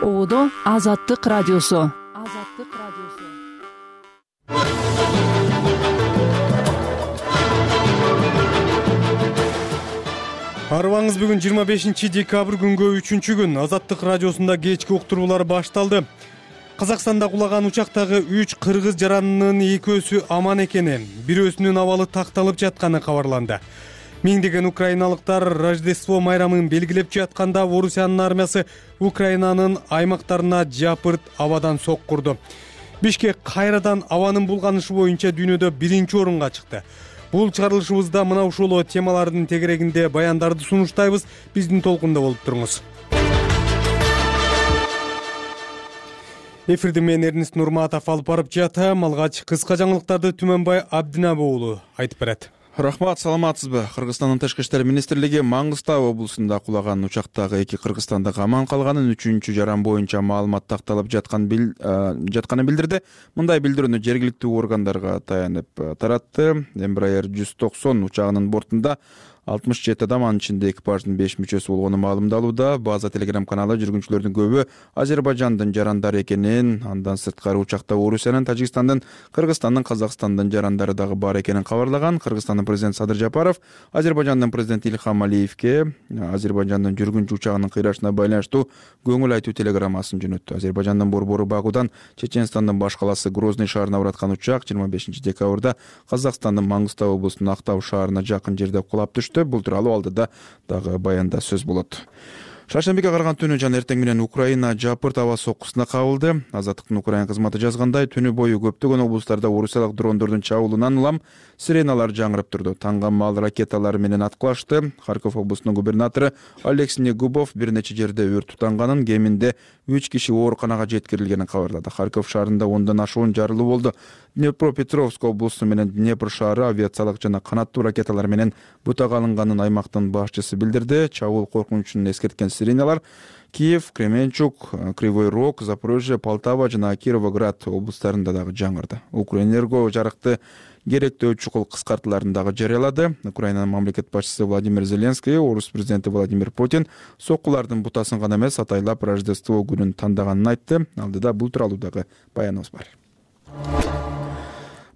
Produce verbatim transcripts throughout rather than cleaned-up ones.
Оодо Азаттык радиосу. Азаттык радиосу. Арыбаңыз бүгүн жыйырма бешинчи декабрь күнгө үчүнчү күн. Азаттык радиосунда кечки уктуруулар башталды. Казакстанда кулаган учактагы үч кыргыз жаранынын экөөсү аман экени, бирөөсүнүн абалы такталып жатканы кабарланды. Миңдеген украиналыктар Рождество майрамын белгилеп жатканда Орусиянын армиясы Украинанын аймактарына жапырт абадан соккурду. Бишкек кайрадан абанын булганышы боюнча дүйнөдө биринчи орунга чыкты. Бул чыгарылышыбызда мына ушул темалардын тегерегинде баяндарды сунуштайбыз. Биздин толкунда болуп туруңуз. Эфирди мен Эрнест Нурматов алып барып жатам. Алгач кыска жаңылыктарды Түмөнбай Абдинабы уулу айтып берет. Рахмат, саламатсызбы? Кыргызстандын Тышкы иштер министрлиги Маңгыстау облусунда кулаган учактагы эки кыргызстандык аман калганын, үчүнчү жаран боюнча маалымат такталып жаткан бил, жатканын билдирди. Мындай билдирүүнү жергиликтүү органдарга таянып таратты. Embraer жүз токсон учагынын бортунда алтымыш жети адам, анын ичинде экипаждын беш мүчөсү болгону маалымдалууда. База телеграм каналы жүргүнчүлөрдүн көбү Азербайжандын жарандары экенин, андан сырткары учакта Орусиянын, Тажикстандын, Кыргызстандын, Казакстандын жарандары дагы бар экенин кабарлаган. Кыргызстандын президенти Садыр Жапаров Азербайжандын президенти Илхам Алиевке Азербайжандын жүргүнчү учагынын кыйрашына байланыштуу көңүл айтуу телеграммасын жөнөттү. Азербайжандын борбору Бакудан Чеченстандын баш каласы Грозный шаарына бараткан учак жыйырма бешинчи декабрда Казакстандын Маңгыстау облусунун Актау шаарына жакын жерде кулап түштү. Бул тууралуу алдыда дагы баянда сөз болот. Шаршембиге караган түнү жана эртең менен Украина жапырт аба соккусуна кабылды. Азаттыктын Украина кызматы жазгандай, түнү бою көптөгөн облустарда орусиялык дрондордун чабуулунан улам сиреналар жаңырып турду. Таңгамал ракеталар менен аткылашты. Харьков облусунун губернатору Алексей Негубов бир нече жерде өрт тутанганын, кеминде үч киши ооруканага жеткирилгенин кабарлады. Харьков шаарында ондон ашуун жарылуу болду. Днепропетровск облусу менен Днепр шаары авиациялык жана канаттуу ракеталар менен бутага алынганын аймактын башчысы билдирди. Чабуул коркунучун эскерткен сиреналар Киев, Кременчук, Кривой Рог, Запорожье, Полтава жана Кировоград облустарында дагы жаңырды. Укрэнерго жарыкты керектөө чукул кыскартууларын дагы жарыялады. Украинанын мамлекет башчысы Владимир Зеленский, Орус президенти Владимир Путин соккулардын бутасын гана эмес, атайлап Рождество күнүн тандаганын айтты. Алдыда бул тууралуу дагы баяныбыз бар.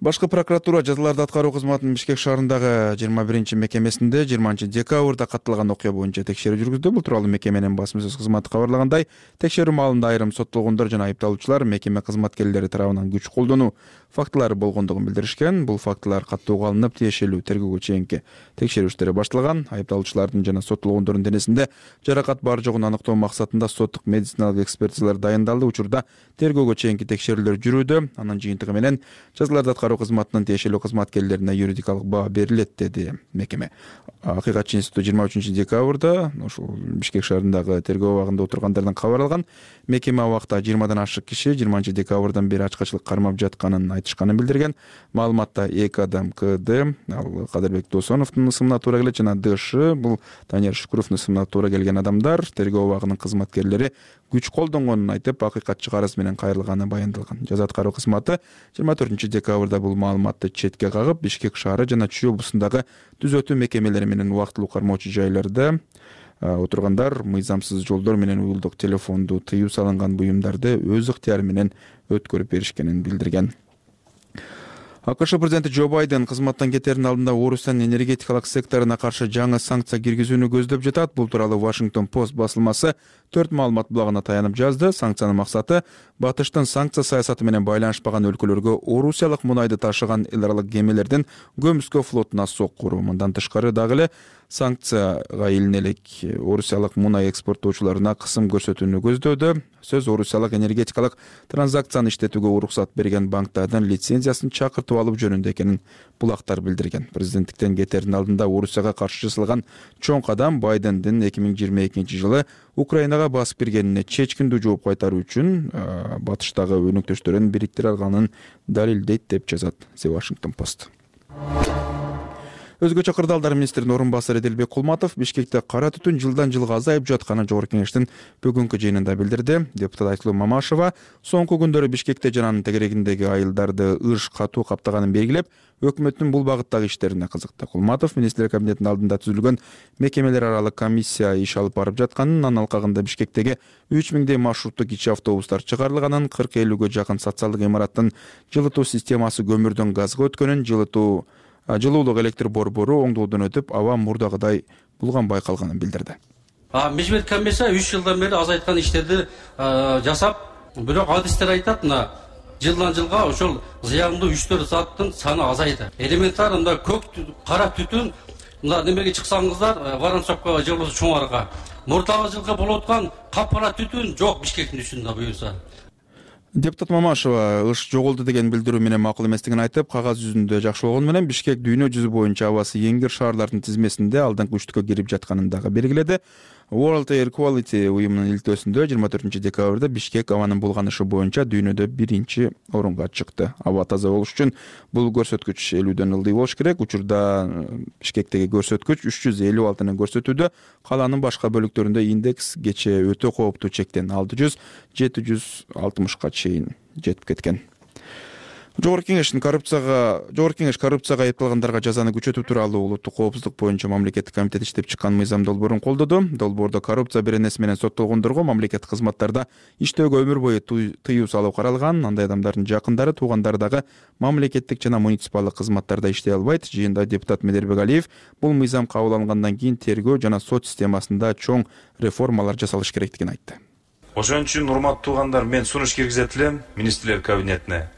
Башкы прокуратура жазаларды аткаруу кызматынын Бишкек шаарындагы жыйырма биринчи мекемесинде жыйырманчы декабрда катталган окуя боюнча текшерүү жүргүздү. Бул тууралуу мекеменин басма сөз кызматы кабарлагандай, текшерүү маалында айрым соттолгондор жана айыпталуучулар мекеме кызматкерлери тарабынан күч колдонуу фактылары болгондугун билдиришкен. Бул фактылар каттоого алынып, тиешелүү тергөөгө чейинки текшерүү иштери башталган. Айыпталуучулардын жана соттолгондордун денесинде жаракат бар жогун аныктоо максатында соттук медициналык экспертизалар дайындалды. Учурда тергөөгө чейинки текшерүүлөр жүрүүдө. Анын жыйынтыгы менен жазаларды аткаруу кызматынын тиешелүү кызматкерлерине юридикалык баа берилет, деди мекеме. Акыйкатчы институту жыйырма үчүнчү декабрда ушул Бишкек шаарындагы тергөө абагында отургандардан кабарланган. Мекеме абакта жыйырмадан ашык киши жыйырманчы декабрдан бери ачкачылык кармап жатканын айтышканын билдирген. Маалыматта эки адам КД, ал Кадырбек Досоновдун ысымына туура келет жана ДШ, бул Танер Шукуровдун ысымына туура келген адамдар. Тергөө абагынын кызматкерлери күч колдонгонун айтып, акыйкатчы арыз менен кайрылганы баяндалган. Жаза аткаруу кызматы жыйырма төртүнчү декабрда бул маалыматты четке кагып, Бишкек шаары жана Чүй облусундагы түзөтүү мекемелери менен убактылуу кармоочу жайларда отургандар мыйзамсыз жолдор менен уюлдук телефонду тыюу салынган буюмдарды өз ыктыяры менен өткөрүп беришкенин билдирген. АКШ президенти Джо Байден кызматтан кетердин алдында Орусиянын энергетикалык секторуна каршы жаңы санкция киргизүүнү көздөп жатат. Бул тууралуу Washington Post басылмасы төрт маалымат булагына таянып жазды. Санкциянын максаты Батыштын санкция саясаты менен байланышпаган өлкөлөргө орусиялык мунайды ташыган эл аралык кемелердин көмүскө флотуна соккуруу. Мындан тышкары дагы эле санкцияга илине элек орусиялык мунай экспорттоочуларына кысым көрсөтүүнү көздөдү. Сөз орусиялык энергетикалык транзакцияны иштетүүгө уруксат берген банктардын лицензиясын чакыртып алуу жөнүндө экенин булактар билдирген. Президенттиктен кетердин алдында Орусияга каршы жасалган чоң кадам Байдендин эки миң жыйырма экинчи жылы Украинага басып киргенине чечкиндүү жооп кайтаруу үчүн батыштагы өнөктөштөрүн бириктире алганын далилдейт деп жазат The Washington Post. Өзгөчө кырдаалдар министринин орун басары Эделбек Кулматов Бишкекте кара түтүн жылдан жылга азайып жатканын Жогорку Кеңештин бүгүнкү жыйынында билдирди. Депутат Айтылуу Мамашева соңку күндөрү Бишкекте жана анын тегерегиндеги айылдарды ыш катуу каптаганын белгилеп, өкмөттүн бул багыттагы иштерине кызыкты. Кулматов министрлер кабинетинин алдында түзүлгөн мекемелер аралык комиссия иш алып барып жатканын, анын алкагында Бишкектеги үч миңдей маршруттук кичи автобустар чыгарылганын, кырк элүүгө жакын социалдык имараттын жылытуу системасы көмүрдөн газга өткөнүн, жылытуу жылуулук электр борбору оңдоодон өтүп, аба мурдагыдай булганбай калганын билдирди. Межмет комиссия үч жылдан бери азайткан иштерди жасап, бирок адистер айтат, мына жылдан жылга ошол зыяндуу үч төрт заттын саны азайды. Элементар мында көк кара түтүн, мына немеге чыксаңыздар, Воронцовкага же болбосо Чоңарга. Мурдагы жылга болуп аткан капкара түтүн жок Бишкектин үстүндө буюрса. Депутат Мамашева ыш жоголду деген билдирүү менен макул эместигин айтып, кагаз жүзүндө жакшы болгону менен Бишкек дүйнө жүзү боюнча абасы эң кир шаарлардын тизмесинде алдыңкы үчтүккө кирип жатканын дагы белгиледи. World Air Quality уюмунун илтөөсүндө жыйырма төртүнчү декабрда Бишкек абанын булганышы боюнча дүйнөдө биринчи орунга чыкты. Аба таза болуш үчүн бул көрсөткүч элүүдөн ылдый болуш керек. Учурда Бишкектеги көрсөткүч үч жүз элүү алтыны көрсөтүүдө, калаанын башка бөлүктөрүндө индекс кечээ өтө кооптуу чектен алты жүз жети жүз алтымышка чейин жетип кеткен. Жогорку Кеңештин коррупцияга, Жогорку Кеңеш коррупцияга айыпталгандарга жазаны күчөтүү тууралуу улуттук коопсуздук боюнча мамлекеттик комитет иштеп чыккан мыйзам долбоорун колдоду. Долбоордо коррупция беренеси менен соттолгондорго мамлекеттик кызматтарда иштөөгө өмүр бою тыюу салуу каралган. Андай адамдардын жакындары, туугандары дагы мамлекеттик жана муниципалдык кызматтарда иштей албайт. Жыйында депутат Медербек Алиев бул мыйзам кабыл алынгандан кийин тергөө жана сот системасында чоң реформалар жасалыш керектигин айтты. Ошон үчүн урматтуу туугандар, мен сунуш киргизет элем министрлер кабинетине.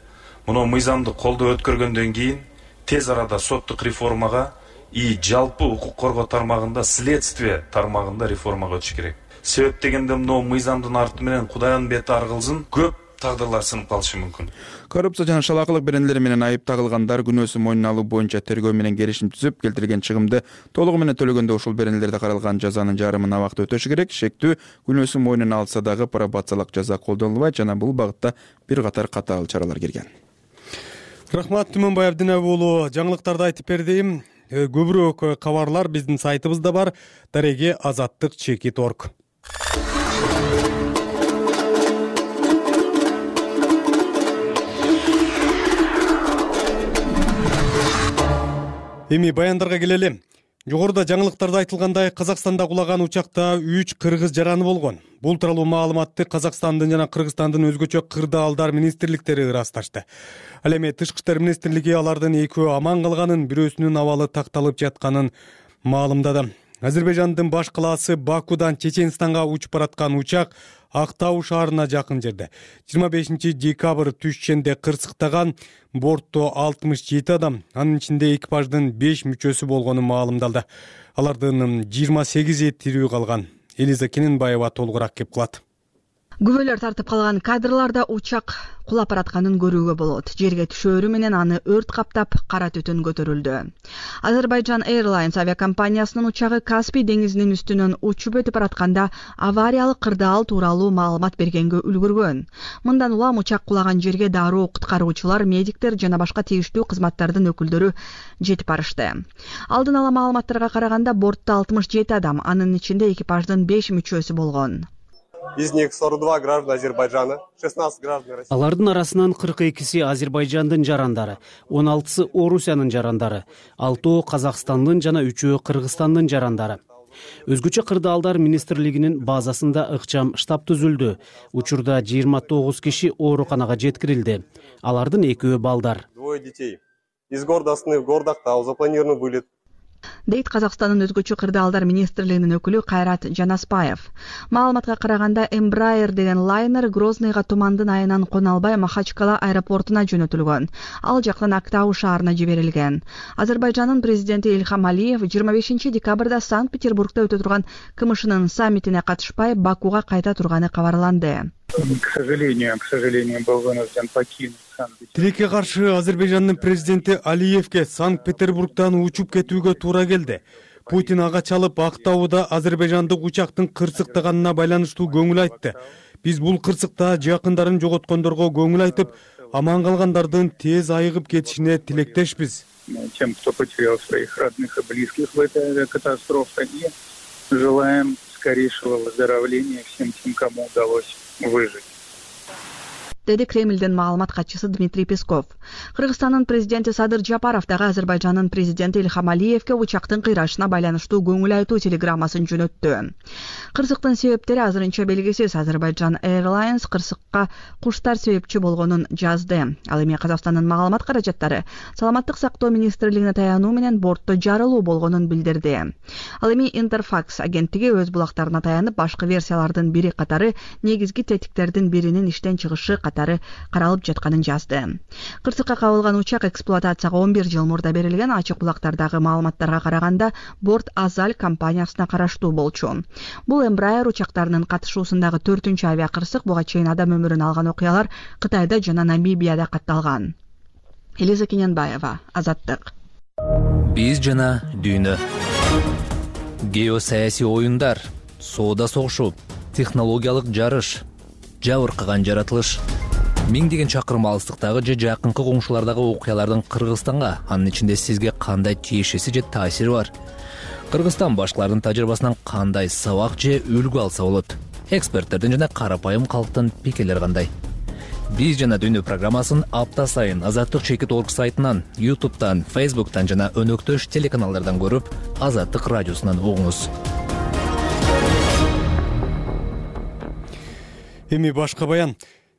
Муну мыйзамды колдоо өткөргөндөн кийин тез арада соттук реформага и жалпы укук коргоо тармагында, следствие тармагында реформага өтүш керек. Себеп дегенде мына мыйзамдын арты менен Кудайдын бети аргылзын, көп тагдырлар сынып калышы мүмкүн. Коррупция жана шалаакылык беренелери менен айып тагылгандар күнөөсүн мойнуна алуу боюнча тергөө менен келишим түзүп, келтирилген чыгымды толугу менен төлөгөндө ушул беренелерде каралган жазанын жарымын абакта өтөшү керек. Шектүү күнөөсүн мойнуна алса дагы пробациялык жаза колдонулбайт жана бул багытта бир катар катаал чаралар келген. Рахмат, Түмөнбай Абдинабы уулу. Жаңылыктарды айтып бердим. Көбүрөөк кабарлар биздин сайтыбызда бар. Дареге азаттык чекит точка орг. Эми баяндарга келели. Жогоруда жаңылыктарда айтылгандай, Казакстанда кулаган учакта үч кыргыз жараны болгон. Бул тууралуу маалыматты Казакстандын жана Кыргызстандын өзгөчө кырдаалдар министрликтери ырасташты. Ал эми Тышкы иштер министрлиги алардын экөө аман калганын, бирөөсүнүн абалы такталып жатканын маалымдады. Азербайжандын баш калаасы Бакудан Чеченстанга учуп бараткан учак Актау шаарына жакын жерде жыйырма бешинчи декабрь түшченде кырсыктаган. Бортто алтымыш жети адам, анын ичинде экипаждын беш мүчөсү болгону маалымдалды. Алардын жыйырма сегизи тирүү калган. Элиза Кененбаева толугураак кеп кылат. Күбөлөр тартып калган кадрларда учак кулап баратканын көрүүгө болот. Жерге түшөөрү менен аны өрт каптап, кара түтүн көтөрүлдү. Азербайджан Airlines авиакомпаниясынын учагы Каспий деңизинин үстүнөн учуп өтүп баратканда авариялык кырдаал тууралуу маалымат бергенге үлгүргөн. Мындан улам учак кулаган жерге дароо куткаруучулар, медиктер жана башка тийиштүү кызматтардын өкүлдөрү жетип барышты. Алдын ала маалыматтарга караганда бортто алтымыш жети адам, анын ичинде экипаждын беш мүчөсү болгон. Из них сорок два граждан Азербайджана, шестнадцать граждан России. Алардын арасынан кырк экиси Азербайжандын жарандары, он алтысы Орусиянын жарандары, алтоо Казакстандын жана үчөө Кыргызстандын жарандары. Өзгөчө кырдаалдар министрлигинин базасында ыкчам штаб түзүлдү. Учурда жыйырма тогуз киши ооруканага жеткирилди. Алардын экөө балдар. Двое детей. Из города Астаны в город Актау запланирован вылет. Дейт Казакстандын өзгөчө кырдаалдар министрлигинин өкүлү Кайрат Жанаспаев. Маалыматка караганда Embraer деген лайнер Грозныйга тумандын айынан кона албай Махачкала аэропортуна жөнөтүлгөн. Ал жактан Актау шаарына жиберилген. Азербайжандын президенти Ильхам Алиев жыйырма бешинчи декабрда Санкт-Петербургда өтө турган КМШнын саммитине катышпай Бакуга кайта турганы кабарланды. К сожалению, к сожалению, был вынужден покинуть Санкт-Петербург. Тилекке каршы Азербайжандын президенти Алиевке Санкт-Петербургдан учуп кетүүгө туура келди. Путин ага чалып Актауда азербайжандык учактын кырсыктаганына байланыштуу көңүл айтты. Биз бул кырсыкта жакындарын жоготкондорго көңүл айтып, аман калгандардын тез айыгып кетишине тилектешпиз. Тем, кто потерял своих родных и близких в этой катастрофе, и желаем скорейшего выздоровления всем тем, кому удалось выжить. Деди Кремлдин маалымат катчысы Дмитрий Песков. Кыргызстандын президенти Садыр Жапаров дагы Азербайжандын президенти Ильхам Алиевке учактын кыйрашына байланыштуу көңүл айтуу телеграммасын жөнөттү. Кырсыктын себептери азырынча белгисиз. Азербайджан Airlines кырсыкка куштар себепчи болгонун жазды. Ал эми Казакстандын маалымат каражаттары саламаттык сактоо министрлигине таянуу менен бортто жарылуу болгонун билдирди. Ал эми Интерфакс агенттиги өз булактарына таянып, башкы версиялардын бири катары негизги тетиктердин биринин иштен чыгышы катары каралып жатканын жазды. Кырсыкка кабылган учак эксплуатацияга он бир жыл мурда берилген. Ачык булактардагы маалыматтарга караганда борт Азаль компаниясына караштуу болчу. Бул Embraer учактарынын катышуусундагы төртүнчү авиакырсык. Буга чейин адам өмүрүн алган окуялар Кытайда жана Намибияда катталган. Элиза Кененбаева, Азаттык. Биз жана дүйнө. Геосаясий оюндар, соода согушу, технологиялык жарыш, жабыркаган жаратылыш. Миңдеген чакырым алыстыктагы же жакынкы коңшулардагы окуялардын Кыргызстанга, анын ичинде сизге кандай тиешеси же таасири бар? Кыргызстан башкалардын тажрыйбасынан кандай сабак же үлгү алса болот? Эксперттердин жана карапайым калктын пикирлери кандай? Биз жана дүйнө программасын апта сайын Азаттык чекит точка орг сайтынан, YouTube'дан, Facebook'тан жана өнөктөш телеканалдардан көрүп, Азаттык радиосунан угуңуз. Эми башка баян.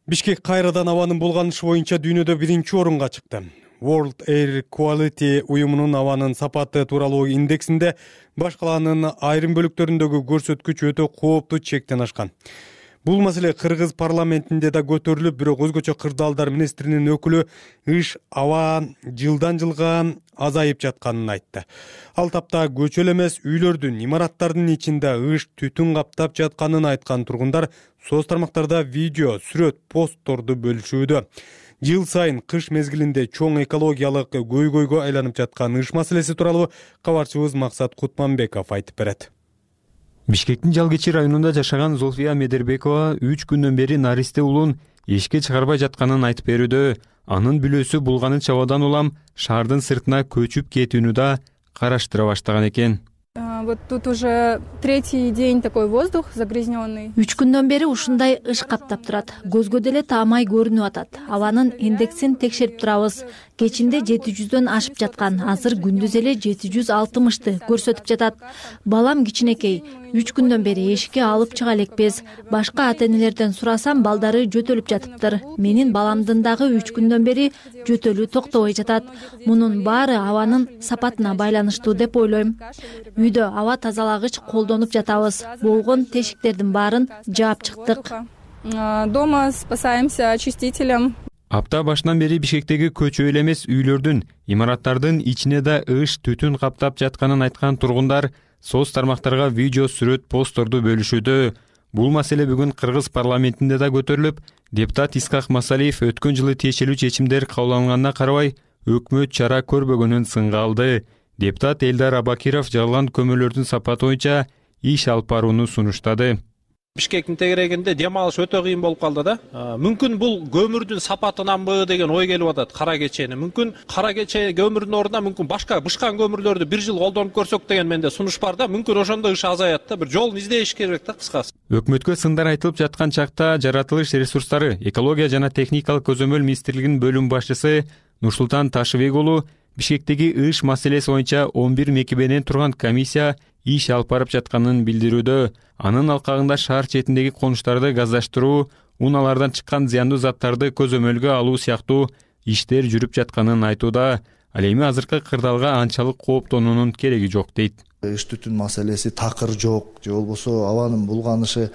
Бишкек кайрадан абанын булганышы боюнча дүйнөдө биринчи орунга чыкты. World Air Quality уюмунун абанын сапаты тууралуу индексинде баш калаанын айрым бөлүктөрүндөгү көрсөткүч өтө кооптуу чектен ашкан. Бул маселе Кыргыз парламентинде да көтөрүлүп, бирок өзгөчө кырдаалдар министринин өкүлү ыш аба жылдан жылга азайып жатканын айтты. Ал тапта көчө эле эмес, үйлөрдүн, имараттардын ичинде ыш түтүн каптап жатканын айткан тургундар соц тармактарда видео, сүрөт, постторду бөлүшүүдө. Жыл сайын кыш мезгилинде чоң экологиялык көйгөйгө айланып жаткан ыш маселеси тууралуу кабарчыбыз Максат Кутманбеков айтып берет. Бишкектин Жалгечи районунда жашаган Зулфия Медербекова үч күндөн бери наристе улун эшикке чыгарбай жатканын айтып берүүдө. Анын бүлөсү булганыча абадан улам шаардын сыртына көчүп кетүүнү да караштыра баштаган экен. Вот тут уже третий день такой воздух загрязненный. Үч күндөн бери ушундай ыш каптап турат. Көзгө деле таамай көрүнүп атат. Абанын индексин текшерип турабыз. Кечинде жети жүздөн ашып жаткан, азыр күндүз эле жети жүз алтымышты көрсөтүп жатат. Балам кичинекей. Үч күндөн бери эшикке алып чыга элекпиз. Башка ата-энелерден сурасам, балдары жөтөлүп жатыптыр. Менин баламдын дагы үч күндөн бери жөтөлүү токтобой жатат. Мунун баары абанын сапатына байланыштуу деп ойлойм. Үйдө аба тазалагыч колдонуп жатабыз. Болгон тешиктердин баарын жаап чыктык. Дома спасаемся очистителем. Апта башынан бери Бишкектеги көчө эле эмес, үйлөрдүн, имараттардын ичине да ыш түтүн каптап жатканын айткан тургундар соц тармактарга видео, сүрөт, постторду бөлүшүүдө. Бул маселе бүгүн Кыргыз парламентинде да көтөрүлүп, депутат Исхак Масалиев өткөн жылы тиешелүү чечимдер кабыл алынганына карабай, өкмөт чара көрбөгөнүн сынга алды. Депутат Элдар Абакиров жарылган көмүрлөрдүн сапаты боюнча иш алып барууну сунуштады. Бишкектин тегерегинде дем алыш өтө кыйын болуп калды да. Мүмкүн бул көмүрдүн сапатынанбы деген ой келип атат кара кечени. Мүмкүн кара кече көмүрдүн ордуна мүмкүн башка бышкан көмүрлөрдү бир жыл колдонуп көрсөк деген менде сунуш бар да. Мүмкүн ошондо ыш азаят да. Бир жолун издеш керек да, кыскасы. Өкмөткө сындар айтылып жаткан чакта жаратылыш ресурстары, экология жана техникалык көзөмөл министрлигинин бөлүм башчысы Нурсултан Ташыбек уулу Бишкектеги ыш маселеси боюнча он бир мекемеден турган комиссия иш алып барып жатканын билдирүүдө. Анын алкагында шаар четиндеги конуштарды газдаштыруу, унаалардан чыккан зыяндуу заттарды көзөмөлгө алуу сыяктуу иштер жүрүп жатканын айтууда. Ал эми азыркы кырдаалга анчалык кооптонуунун кереги жок дейт. Ыш түтүн маселеси такыр жок, же болбосо абанын булганышы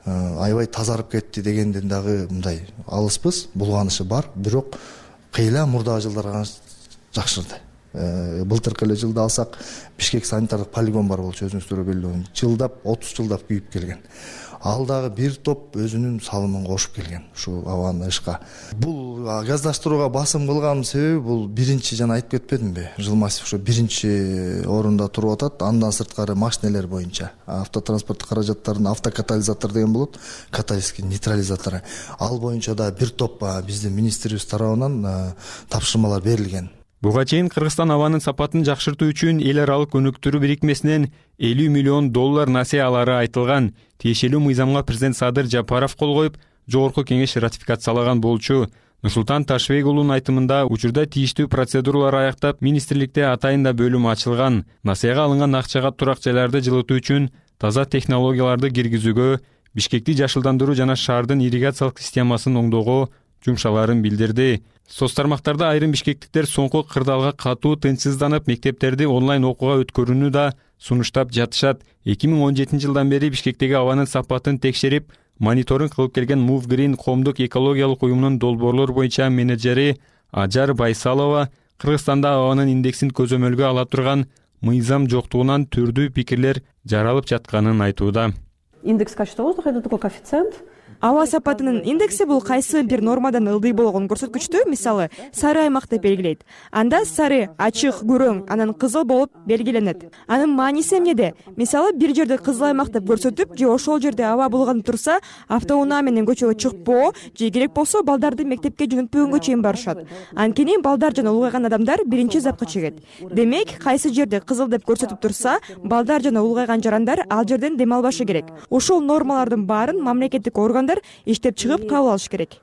аябай тазарып кетти дегенден дагы мындай алыспыз. Булганышы бар, бирок кыйла мурдагы жылдарга жакшырды. Былтыркы эле жылда алсак, Бишкек санитардык полигон бар болчу, өзүңүздөр белгилүү. Жылдап, отуз жылдап күйүп келген. ал дагы бир топ өзүнүн салымын кошуп келген ушул абаны ышка. Бул газдаштырууга басым кылганын себеби бул биринчи, жана айтып кетпедимби, Жылмасов ушу биринчи орунда туруп атат. Андан сырткары машинелер боюнча автотранспорт каражаттарын автокатализатор деген болот, каталитический нейтрализатору. Ал боюнча да бир топ биздин министрибиз тарабынан тапшырмалар берилген. Буга чейин Кыргызстан абанын сапатын жакшыртуу үчүн эл аралык өнүктүрүү бирикмесинен элүү миллион доллар насыя алары айтылган. Тиешелүү мыйзамга президент Садыр Жапаров кол коюп, жогорку кеңеш ратификациялаган болчу. Нурсултан Ташыбек уулунун айтымында учурда тийиштүү процедуралар аяктап, министрликте атайында бөлүм ачылган. Насыяга алынган акчага турак жайларды жылытуу үчүн таза технологияларды киргизүүгө, Бишкекти жашылдандыруу жана шаардын ирригациялык системасын оңдоого жумшаларын билдирди. Соц тармактарда айрым бишкектиктер соңку кырдаалга катуу тынчсызданып, мектептерди онлайн окууга өткөрүүнү да сунуштап жатышат. эки миң он жетинчи жылдан бери Бишкектеги абанын сапатын текшерип, мониторинг кылып келген Move Green коомдук экологиялык уюмунун долбоорлор боюнча менеджери Ажар Байсалова Кыргызстанда абанын индексин көзөмөлгө ала турган мыйзам жоктугунан түрдүү пикирлер жаралып жатканын айтууда. Индекс качества воздуха — это такой коэффициент. Аба сапатынын индекси бул кайсы бир нормадан ылдый болгон көрсөткүчтү, мисалы, сары аймак деп белгилейт. Анда сары, ачык, күрөң, анан кызыл болуп белгиленет. Анын мааниси эмнеде? Мисалы, бир жерде кызыл аймак деп көрсөтүп, же ошол жерде аба булганып турса, автоунаа менен көчөгө чыкпоо, же керек болсо балдарды мектепке жөнөтпөгөнгө чейин барышат. Анткени балдар жана улгайган адамдар биринчи запка чегет. Демек, кайсы жерде кызыл деп көрсөтүп турса, балдар жана улгайган жарандар ал жерден дем албашы керек. Ошол нормалардын баарын мамлекеттик органдар иштеп чыгып кабыл алыш керек.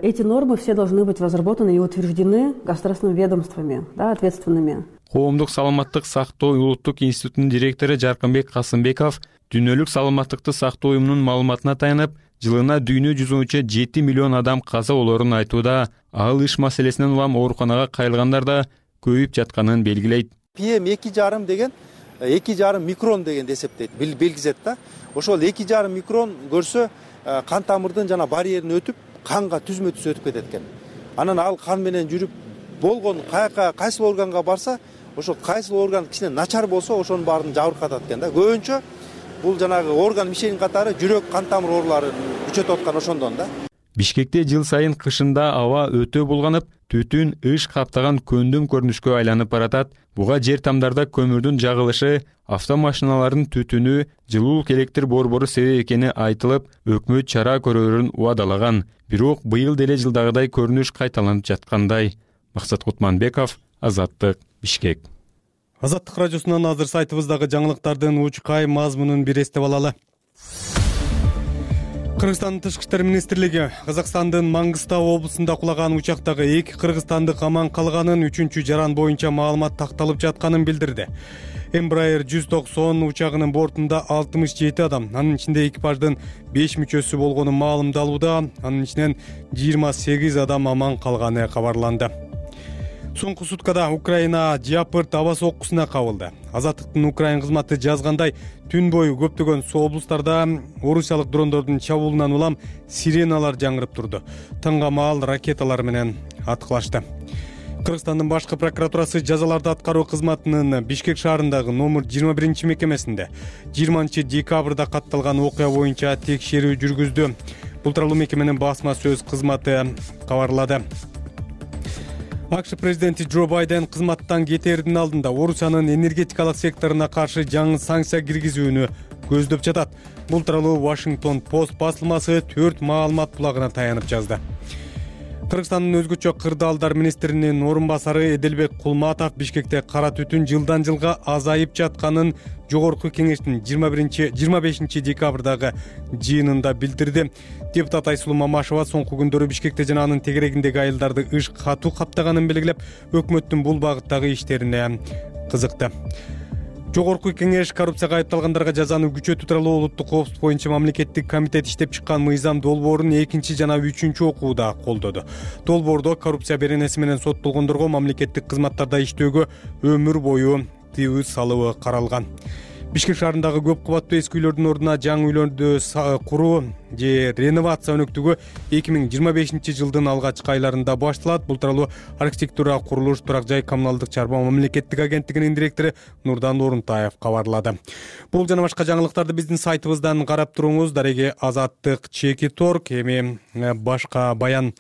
Эти нормы все должны быть разработаны и утверждены государственными ведомствами, да, ответственными. Коомдук саламаттык сактоо улуттук институтунун директору Жаркынбек Касымбеков дүйнөлүк саламаттыкты сактоо уюмунун маалыматына таянып, жылына дүйнө жүзүнчө жети миллион адам каза болорун айтууда. Ал иш маселесинен улам ооруканага кайрылгандар да көбөйүп жатканын белгилейт. пи эм эки жарым деген эки жарым микрон дегенди эсептейт, билгизет да. Ошол эки жарым микрон көрсө кан тамырдын жана барьерин өтүп, канга түзмө түз өтүп кетет экен. Анан ал кан менен жүрүп болгон каяка кайсыл органга барса, ошол кайсыл орган кичине начар болсо, ошонун баарын жабыркатат экен да. Көбүнчө бул жанагы орган мишенин катары жүрөк, кан тамыр ооруларын күчөтүп аткан ошондон да. Бишкекте жыл сайын кышында аба өтө булганып, түтүн ыш каптаган көндүм көрүнүшкө айланып баратат. Буга жер тамдарда көмүрдүн жагылышы, автомашиналардын түтүнү, жылуулук электр борбору себеп экени айтылып, өкмөт чара көрөрүн убадалаган. Бирок быйыл деле жылдагыдай көрүнүш кайталанып жаткандай. Максат Кутманбеков, Азаттык, Бишкек. Азаттык радиосунан азыр сайтыбыздагы жаңылыктардын учкай мазмунун бир эстеп алалы. Кыргызстандын тышкы иштер министрлиги Казакстандын Маңгыстау облусунда кулаган учактагы эки кыргызстандык аман калганын, үчүнчү жаран боюнча маалымат такталып жатканын билдирди. Embraer жүз токсон учагынын бортунда алтымыш жети адам, анын ичинде экипаждын беш мүчөсү болгону маалымдалууда, анын ичинен жыйырма сегиз адам аман калганы кабарланды. Соңку суткада Украина Дяпырт аба соккусуна кабылды. Азаттыктын Украин кызматы жазгандай, түн бою көптөгөн облустарда орусиялык дрондордун чабуулунан улам сиреналар жаңырып турду. Таңга маал ракеталар менен аткылашты. Кыргызстандын башкы прокуратурасы жазаларды аткаруу кызматынын Бишкек шаарындагы номер жыйырма биринчи мекемесинде жыйырманчы декабрда катталган окуя боюнча текшерүү жүргүздү. Бул тууралуу мекеменин басма сөз кызматы кабарлады. АКШ президенти Джо Байден кызматтан кетердин алдында Орусиянын энергетикалык секторуна каршы жаңы санкция киргизүүнү көздөп жатат. Бул тууралуу Washington Post басылмасы төрт маалымат булагына таянып жазды. Кыргызстандын өзгөчө кырдаалдар министринин орун басары Эделбек Кулматов Бишкекте кара түтүн жылдан жылга азайып жатканын жогорку кеңештин жыйырма биринчи жыйырма бешинчи декабрдагы жыйынында билдирди. Депутат Айсулуу Мамашева соңку күндөрү Бишкекте жана анын тегерегиндеги айылдарды ыш катуу каптаганын белгилеп, өкмөттүн бул багыттагы иштерине кызыкты. Жогорку кеңеш коррупцияга айыпталгандарга жазаны күчөтүү тууралуу улуттук коопсуздук боюнча мамлекеттик комитет иштеп чыккан мыйзам долбоорун экинчи жана үчүнчү окууда колдоду. Долбоордо коррупция беренеси менен соттолгондорго мамлекеттик кызматтарда иштөөгө өмүр бою тыюу салуу каралган. Бишкек шаарындагы көп кабаттуу эски үйлөрдүн ордуна жаңы үйлөрдү куруу же реновация өнөктүгү эки миң жыйырма бешинчи жылдын алгачкы айларында башталат. Бул тууралуу архитектура, курулуш, турак жай, коммуналдык чарба мамлекеттик агенттигинин директору Нурдан Орунтаев кабарлады. Бул жана башка жаңылыктарды биздин сайтыбыздан карап туруңуз. Дареги Азаттык Чекит Орг. Эми башка баян.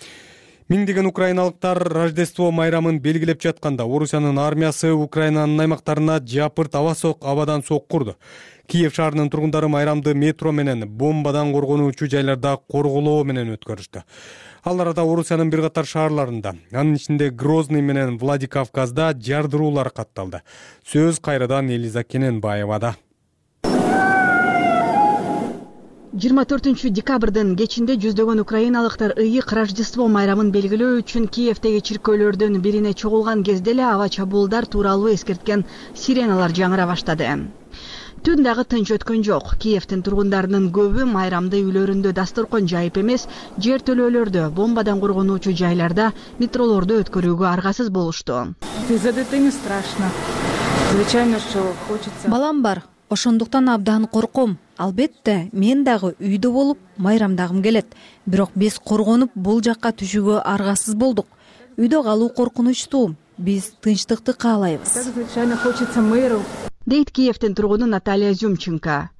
Миңдеген украиналыктар Рождество майрамын белгилеп жатканда Орусиянын армиясы Украинанын аймактарына жапырт аба сок абадан соккурду. Киев шаарынын тургундары майрамды метро менен бомбадан коргонуучу жайларда корголоо менен өткөрүштү. Ал арада Орусиянын бир катар шаарларында, анын ичинде Грозный менен Владикавказда жардыруулар катталды. Сөз кайрадан Элиза Кененбаевада. жыйырма төртүнчү декабрдын кечинде жүздөгөн украиналыктар ыйык Рождество майрамын белгилөө үчүн Киевдеги чиркөөлөрдүн бирине чогулган кезде эле аба чабуулдар тууралуу эскерткен сиреналар жаңыра баштады. Түн дагы тынч өткөн жок. Киевдин тургундарынын көбү майрамды үйлөрүндө дасторкон жайып эмес, жер төлөөлөрдө, бомбадан коргонуучу жайларда, метролордо өткөрүүгө аргасыз болушту. Балам бар, ошондуктан абдан корком. Албетте, мен дагы үйдө болуп майрамдагым келет. Бирок биз коргонуп бул жакка түшүүгө аргасыз болдук. Үйдө калуу коркунучтуу. Биз тынчтыкты каалайбыз. Дейт Киевдин тургуну Наталья Зюмченко.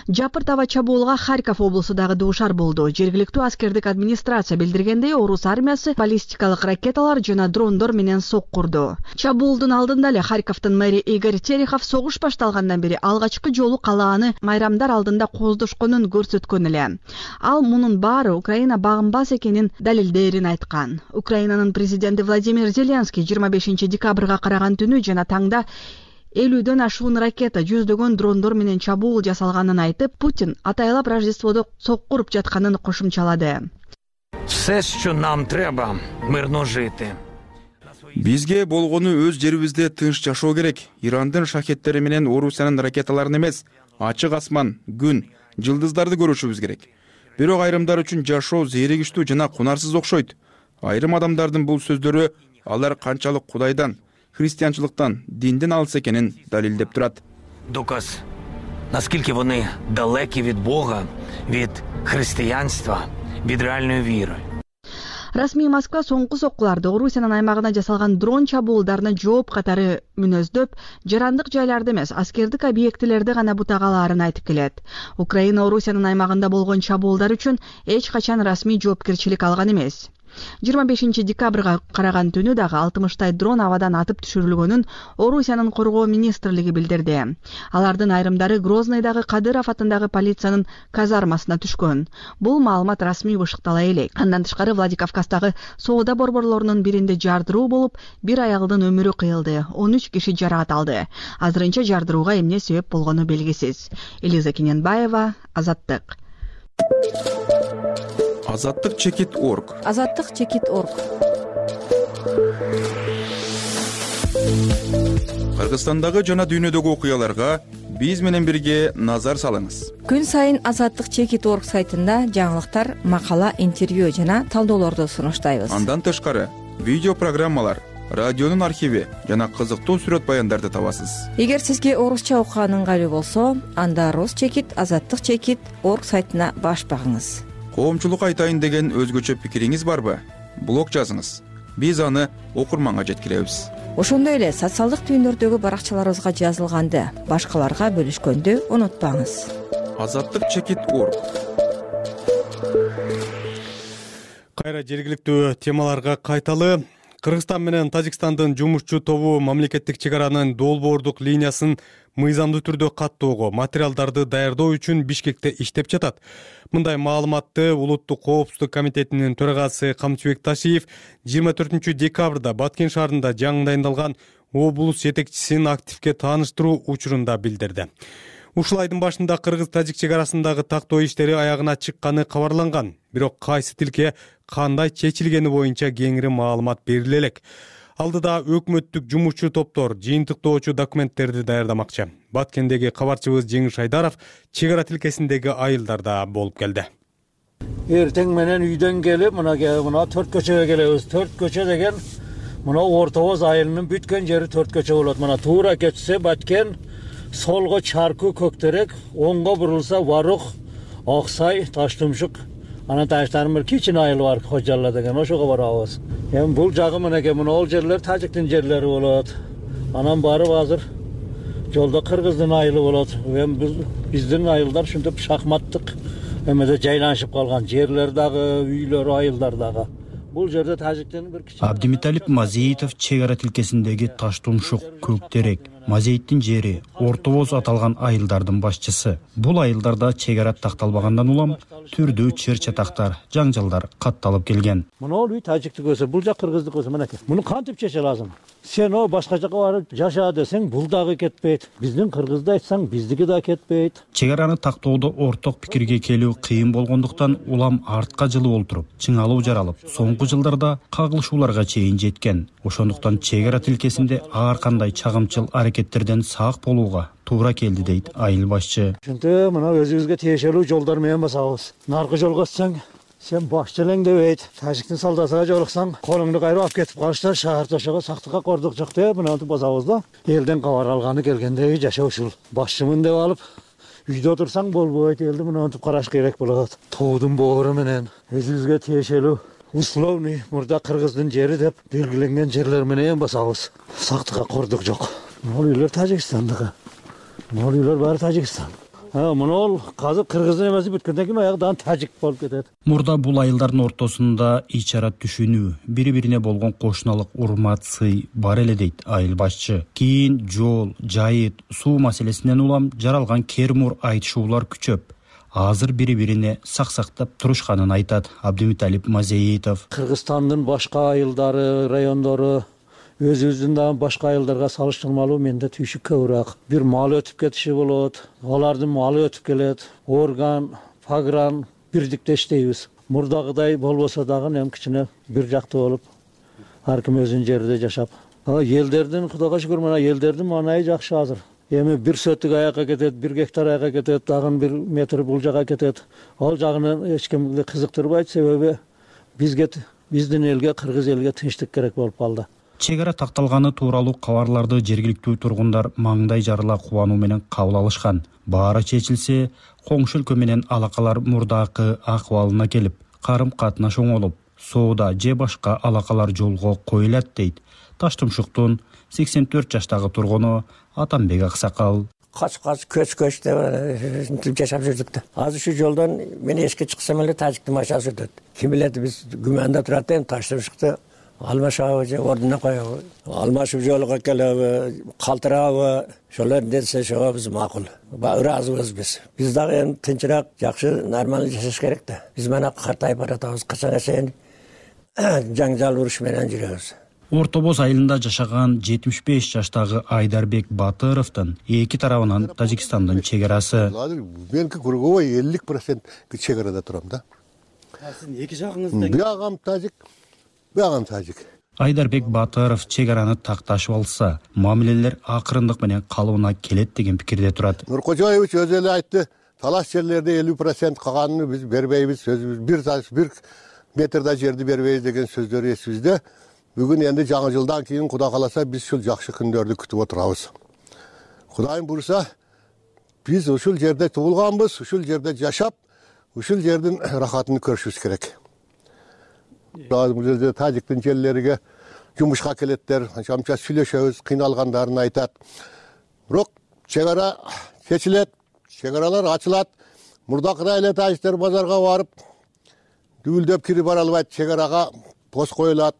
Жапырт аба чабуулга Харьков облусу дагы дуушар болду. Жергиликтүү аскердик администрация билдиргендей, орус армиясы баллистикалык ракеталар жана дрондор менен соккурду. Чабуулдун алдында эле Харьковдун мэри Игорь Терехов согуш башталгандан бери алгачкы жолу калааны майрамдар алдында кооздошконун көрсөткөн эле. Ал мунун баары Украина багынбас экенин далилдээрин айткан. Украинанын президенти Владимир Зеленский жыйырма бешинчи декабрга караган түнү жана таңда элүүдөн ашуун ракета, жүздөгөн дрондор менен чабуул жасалганын айтып, Путин атайлап Рождестводо соккуруп жатканын кошумчалады. Все, що нам треба, мирно жити. Бизге болгону өз жерибизде тынч жашоо керек. Ирандын шахеттери менен Орусиянын ракеталарын эмес, ачык асман, күн, жылдыздарды көрүшүбүз керек. Бирок айрымдар үчүн жашоо зээригиштүү жана кунарсыз окшойт. Айрым адамдардын бул сөздөрү алар канчалык Кудайдан, християнчылыктан, динден алыс экенин далилдеп турат. Доказ, наскільки вони далекі від Бога, від християнства, від реальної віри. Расмий Москва соңку соккуларды Орусиянын аймагына жасалган дрон чабуулдарына жооп катары мүнөздөп, жарандык жайларды эмес, аскердик объектилерди гана бутагалаарын айтып келет. Украина Орусиянын аймагында болгон чабуулдар үчүн эч качан расмий жоопкерчилик алган эмес. жыйырма бешинчи декабрга караган түнү дагы алтымыштай дрон абадан атып түшүрүлгөнүн Орусиянын коргоо министрлиги билдирди. Алардын айрымдары Грознойдагы Кадыров атындагы полициянын казармасына түшкөн. Бул маалымат расмий бышыктала элек. Андан тышкары Владикавказдагы соода борборлорунун биринде жардыруу болуп, бир аялдын өмүрү кыйылды, он үч киши жаракат алды. Азырынча жардырууга эмне себеп болгону белгисиз. Элиза Кененбаева, Азаттык. Азаттык Чекит Орг. Азаттык Чекит Орг. Кыргызстандагы жана дүйнөдөгү окуяларга биз менен бирге назар салыңыз. Күн сайын Азаттык Чекит Орг сайтында жаңылыктар, макала, интервью жана талдоолорду сунуштайбыз. Андан тышкары видео программалар, радионун архиви жана кызыктуу сүрөт баяндарды табасыз. Эгер сизге орусча окуган ыңгайлуу болсо, анда Рус Чекит, Азаттык Чекит Орг сайтына баш багыңыз. Коомчулук айтайын деген өзгөчө пикириңиз барбы? Блог жазыңыз. Биз аны окурманга жеткиребиз. Ошондой эле социалдык түйүндөрдөгү баракчаларыбызга жазылганды башкаларга бөлүшкөндү унутпаңыз. Азаттык Чекит Орг. Кайра жергиликтүү темаларга кайталы. Кыргызстан менен Тажикстандын жумушчу тобу мамлекеттик чек аранын долбоордук линиясын мыйзамдуу түрдө каттоого, материалдарды даярдоо үчүн Бишкекте иштеп жатат. Мындай маалыматты Улуттук коопсуздук комитетинин төрагасы Камчыбек Ташиев жыйырма төртүнчү декабрда Баткен шаарында жаңы дайындалган облус жетекчисин активге тааныштыруу учурунда билдирди. Ушул айдын башында кыргыз-тажик чек арасындагы тактоо иштери аягына чыкканы кабарланган. Бирок кайсы тилке кандай чечилгени боюнча кеңири маалымат бериле элек. Алдыда өкмөттүк жумушчу топтор жыйынтыктоочу документтерди даярдамакчы. Баткендеги кабарчыбыз Жеңиш Айдаров чек ара тилкесиндеги айылдарда болуп келди. Эртең менен үйдөн келип, мына мына төрт көчөгө келебиз. төрт көчө деген мына Орто Боз айылынын бүткөн жери төрт көчө болот. Мына туура кетсе Баткен, солго Чарку Көктерек, оңго бурулса Варух, Аксай, Таштумшук, анан Таштарым бир кичине айыл бар, Кожалла деген, ошого барабыз. Эми бул жагы менеке мына ол жерлер Тажиктин жерлери болот. Анан барып азыр жолдо Кыргыздын айылы болот. Эми биздин айылдар ушинтип шахматтык эмеде жайланышып калган, жерлер дагы, үйлөр, айылдар дагы. Бул жерде Тажиктин бир кичине Абдимиталип Мазеитов чек ара тилкесиндеги Таштумшук, Көктерек, Мазеиттин жери, Ортобоз аталган айылдардын башчысы. Бул айылдарда чек ара такталбагандан улам түрдүү чыр-чатактар, жаңжалдар катталып келген. Мына үй Тажиктик өсө, бул жак Кыргыздык өсө, мынакей. Муну кантип чече лазым? Сен о башка жака барып жаша десең, бул дагы кетпейт. Биздин Кыргызды айтсаң, биздики да кетпейт. Чек араны тактоодо орток пикирге келүү кыйын болгондуктан улам артка жылып олтуруп, чыңалуу жаралып, соңку жылдарда кагылышууларга чейин жеткен. Ошондуктан чек ара тилкесинде ар кандай чагымчыл аракеттерден сак болууга туура келди дейт айыл башчы. Ошентип мына өзүбүзгө тиешелүү жолдор менен басабыз. Наркы жолго өтсөң, сен башчы элең дебейт. Тажиктин солдатыга жолуксаң, колуңду кайрып алып кетип калыштар, шаар тошого сактыкка кордук жок деп мынантип басабыз да. Элден кабар алганы келгендеги жашоо ушул. Башчымын деп алып, үйдө отурсаң болбойт, элди мынантип караш керек болот. Тоодун боору менен өзүбүзгө тиешелүү условный мурда Кыргыздын жери деп белгиленген жерлер менен басабыз. Сактыкка кордук жок. Могул үйлөр Тажикстандагы. Могул үйлөр баары Тажикстан. Ha, мына ол казыр Кыргыздын эмеси бүткөндөн кийин аягдан Тажик болуп кетет. Мурда бул айылдардын ортосунда ичара түшүнүү, бири-бирине болгон кошуналык урмат, сый бар эле дейт айыл башчы. Кийин жол, жайыт, суу маселесинен улам жаралган кермур айтышуулар күчөп, азыр бири-бирине саксактап турушканын айтат Абдимиталип Мазеитов. Кыргызстандын башка айылдары, райондору өзүбүздүн да башка айылдарга салыштырмалуу менде түйшүк көбүрөөк. Бир мал өтүп кетиши болот, алардын малы өтүп келет, орган, пагран бирдикте иштейбиз. Мурдагыдай болбосо дагы эми кичине бир жактуу болуп, ар ким өзүнүн жеринде жашап. Элдердин Кудайга шүгүр мына элдердин маанайы жакшы азыр. Эми бир сөттүк аякка кетет, бир гектар аякка кетет, дагы бир метр бул жага кетет. Ал жагынан эч кимди кызыктырбайт, себеби бизге, биздин элге, кыргыз элге тынчтык керек болуп калды. Чек ара такталганы тууралуу кабарларды жергиликтүү тургундар маңдай жарыла кубануу менен кабыл алышкан. Баары чечилсе, коңшу өлкө менен алакалар мурдакы акыбалына келип, карым катнаш оңолуп, соода же башка алакалар жолго коюлат дейт Таштумшуктун сексен төрт жаштагы тургуну Атамбек Аксакал. Кач-кач, көч-көч деп жашап жүрдүк да. Азыр ушу жолдон мен эшикке чыксам эле Тажиктин машинасы өтөт. Ким билет, биз күмөндө турат эми Таштумшукта алмашабы же ордуна коебу, алмашып жолуга келеби, калтырабы, ошолор десе ошого биз макул. Ыраазыбыз биз. Биз дагы эми тынчыраак, жакшы, нормалдуу жашаш керек да. Биз мына картайып баратабыз, качанга чейин жаңжал уруш менен жүрөбүз. Ортобоз айылында жашаган жетимиш беш жаштагы Айдарбек Батыровдун эки тарабынан Тажикстандын чек арасы. Меники круговой элүү процент чек арада турам да. Сиздин эки жагыңызда биягам Тажик, биягам Тажик. Айдарбек Батыров чек араны такташып алса, мамилелер акырындык менен калыбына келет деген пикирде турат. Нуркожоевич өзү эле айтты, талаш жерлерде элүү процент калганын биз бербейбиз, өзүбүз бир бир метрда жерди бербейбиз деген сөздөр эсибизде. Бүгүн энди жаңы жылдан кийин Кудай кааласа биз ушул жакшы күндөрдү күтүп отурабыз. Кудайым буйруса, биз ушул жерде туулганбыз, ушул жерде жашап, ушул жердин рахатын көрүшүбүз керек. Бул жерде Тажиктин жерлериге жумушка келеттер, анча-мынча сүйлөшөбүз, кыйналгандарын айтат. Бирок чек ара чечилет, чек аралар ачылат. Мурдакыдай эле тажиктер базарга барып, дүбүлдөп кирип бара албайт, чек арага пост коюлат.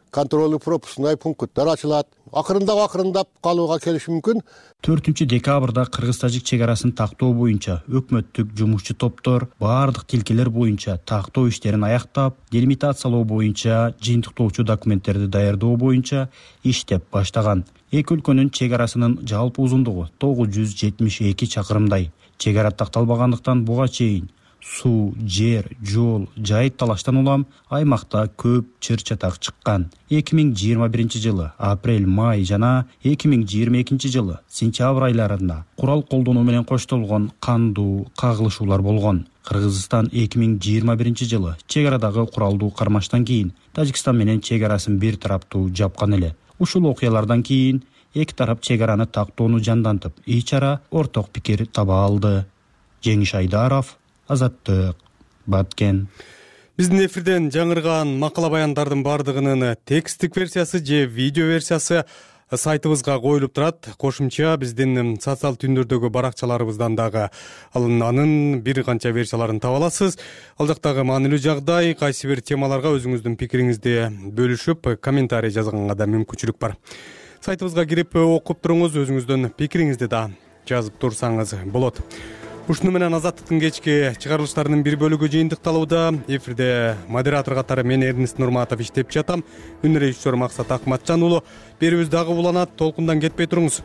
Контролдуу пропускной пункттар ачылат. Акырындап акырындап калууга келиши мүмкүн. төртүнчү декабрда кыргыз-тажик чек арасын тактоо боюнча өкмөттүк жумушчу топтор баардык тилкелер боюнча тактоо иштерин аяктап, делимитациялоо боюнча, жыйынтыктоочу документтерди даярдоо боюнча иштеп баштаган. Эки өлкөнүн чек арасынын жалпы узундугу тогуз жүз жетимиш эки чакырымдай. Чек ара такталбагандыктан буга чейин суу, жер, жол, жайыт талаштан улам аймакта көп чыр-чатак чыккан. эки миң жыйырма биринчи жылы апрель, май жана эки миң жыйырма экинчи жылы сентябрь айларында курал колдонуу менен коштолгон кандуу кагылышуулар болгон. Кыргызстан эки миң жыйырма биринчи жылы чек арадагы куралдуу кармаштан кийин Тажикстан менен чек арасын бир тараптуу жапкан эле. Ушул окуялардан кийин эки тарап чек араны тактоону жандантып, ич ара орток пикир таба алды. Жеңиш Айдаров, Азаттык, Баткен. Биздин эфирден жаңырган макала баяндардын бардыгынын текстик версиясы же видео версиясы сайтыбызга коюлуп турат. Кошумча биздин социал түндөрдөгү баракчаларыбыздан дагы анын бир канча версияларын таба аласыз. Ал жактагы маанилүү жагдай, кайсы бир темаларга өзүңүздүн пикириңизди бөлүшүп, комментарий жазганга да мүмкүнчүлүк бар. Сайтыбызга кирип окуп туруңуз, өзүңүздүн пикириңизди да жазып турсаңыз болот. Ушуну менен Азаттыктын кечки чыгарылыштарынын бир бөлүгү жыйынтыкталууда. Эфирде модератор катары мен Эрнест Нурматов иштеп жатам. Үн режиссер Максат Акматжан уулу. Берүүбүз дагы уланат, толкундан кетпей туруңуз.